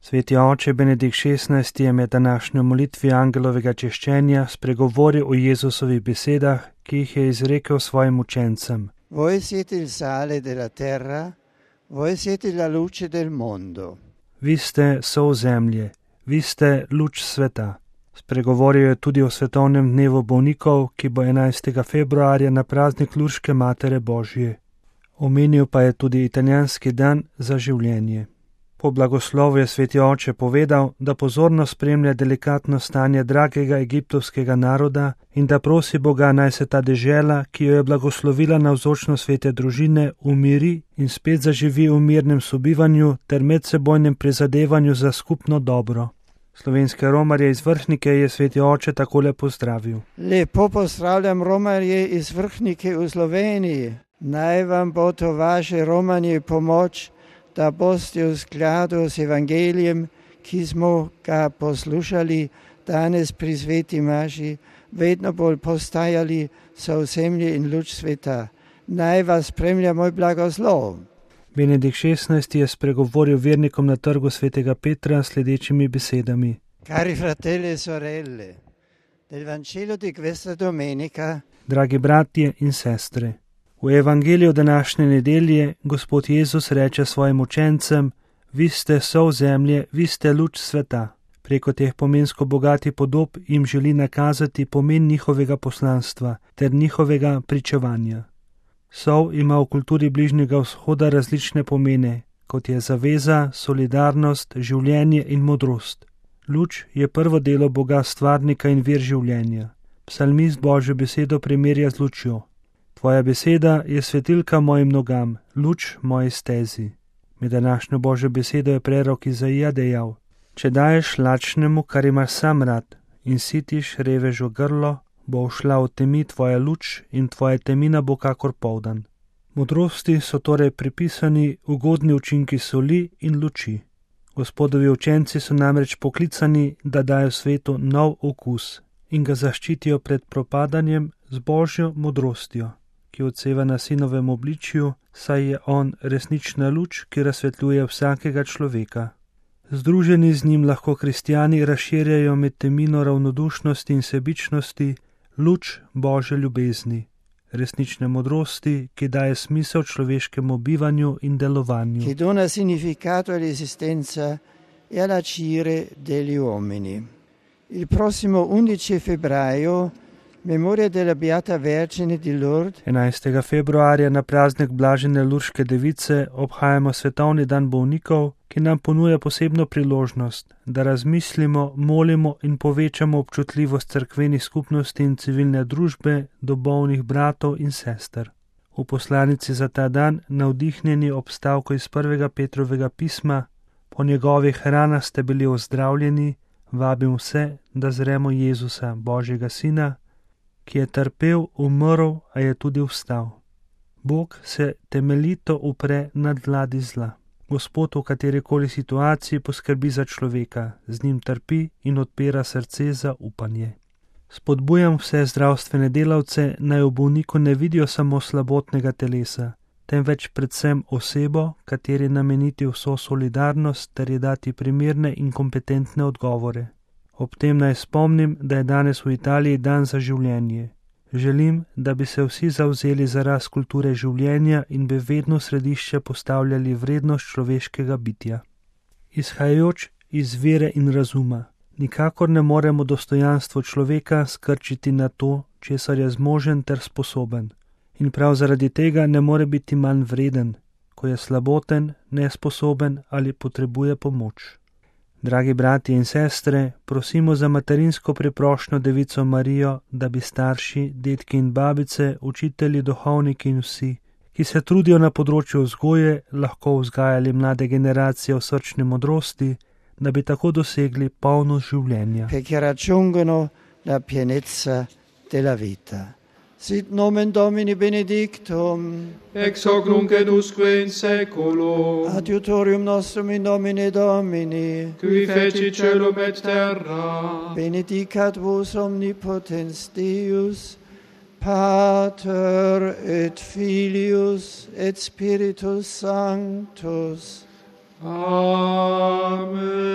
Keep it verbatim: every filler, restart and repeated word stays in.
Sveti oče Benedikt šestnajsti je med današnjo molitvi angelovega češčenja spregovoril o Jezusovih besedah, ki jih je izrekel svojim učencem. Voi siete il sale della terra, voi siete la luce del mondo. Vi ste sol zemlje, vi ste luč sveta. Spregovoril je tudi o svetovnem dnevu bolnikov, ki bo enajstega februarja na praznik Lurške Matere Božje. Omenil pa je tudi italijanski dan za življenje. Po blagoslovu je sveti oče povedal, da pozorno spremlja delikatno stanje dragega egiptovskega naroda in da prosi Boga, naj se ta dežela, ki jo je blagoslovila navzočno svete družine, umiri in spet zaživi v mirnem sobivanju ter medsebojnem prizadevanju za skupno dobro. Slovenske romarje iz Vrhnike je sveti oče takole pozdravil. Lepo pozdravljam romarje iz Vrhnike v Sloveniji. Naj vam bo to vaše romanje pomoč, da boste v skladu s evangelijem, ki smo ga poslušali danes pri sveti maši, vedno bolj postajali sol zemlje in luč sveta. Naj vas spremlja moj blagoslov. Benedikt šestnajsti je spregovoril vernikom na trgu svetega Petra sledečimi besedami. Cari fratelli e sorelle, del Vangelo di questa domenica. Dragi bratje in sestre, v evangeliju današnje nedelje Gospod Jezus reče svojim učencem: vi ste sol zemlje, vi ste luč sveta. Preko teh pomensko bogatih podob jim želi nakazati pomen njihovega poslanstva ter njihovega pričevanja. Sol ima v kulturi Bližnjega vzhoda različne pomene, kot je zaveza, solidarnost, življenje in modrost. Luč je prvo delo Boga stvarnika in vir življenja. Psalmist Božjo besedo primerja z lučjo. Tvoja beseda je svetilka mojim nogam, luč moji stezi. Med današnjo Božjo besedo je prerok Izaija dejal: če daješ lačnemu, kar imaš sam rad, in sitiš revežu grlo, bo ušla v temi tvoja luč in tvoja temina bo kakor poldan. Modrosti so torej pripisani ugodni učinki soli in luči. Gospodovi učenci so namreč poklicani, da dajo svetu nov okus in ga zaščitijo pred propadanjem z Božjo modrostjo, ki odseva na sinovem obličju, saj je on resnična luč, ki razsvetljuje vsakega človeka. Združeni z njim lahko kristjani razširjajo med temino ravnodušnosti in sebičnosti luč Božje ljubezni, resnične modrosti, ki daje smisel človeškemu bivanju in delovanju. Che dona significato all'esistenza e all'agire degli uomini. Il prossimo undici febbraio, memoria della Beata Vergine di Lourdes. enajstega februarja na praznik Blažene Lurške device obhajamo svetovni dan bolnikov, ki nam ponuja posebno priložnost, da razmislimo, molimo in povečamo občutljivost cerkvenih skupnosti in civilne družbe do bolnih bratov in sester. V poslanici za ta dan, navdihnjeni ob stavku iz prvega Petrovega pisma, po njegovih ranah ste bili ozdravljeni, vabim vse, da zremo Jezusa, Božjega Sina, ki je trpel, umrl, a je tudi vstal. Bog se temeljito upre nad vladi zla. Gospod v katerikoli situaciji poskrbi za človeka, z njim trpi in odpira srce za upanje. Spodbujam vse zdravstvene delavce, naj v bolniku ne vidijo samo slabotnega telesa, temveč predvsem osebo, kateri nameniti vso solidarnost ter ji dati primerne in kompetentne odgovore. Ob tem naj spomnim, da je danes v Italiji dan za življenje. Želim, da bi se vsi zavzeli za rast kulture življenja in bi vedno v središče postavljali vrednost človeškega bitja. Izhajajoč iz vere in razuma, nikakor ne moremo dostojanstvo človeka skrčiti na to, česar je zmožen ter sposoben. In prav zaradi tega ne more biti manj vreden, ko je slaboten, nesposoben ali potrebuje pomoč. Dragi bratje in sestre, prosimo za materinsko priprošnjo Devico Marijo, da bi starši, dedki in babice, učitelji, duhovniki in vsi, ki se trudijo na področju vzgoje, lahko vzgajali mlade generacije v srčni modrosti, da bi tako dosegli polnost življenja. Perché raggiungono la pienezza della vita. Sit nomen Domini benedictum, ex hoc nunc et usque in saeculo, adiutorium nostrum in nomine Domini, qui feci celum et terra, benedicat vos omnipotens Deus, Pater et Filius et Spiritus Sanctus. Amen.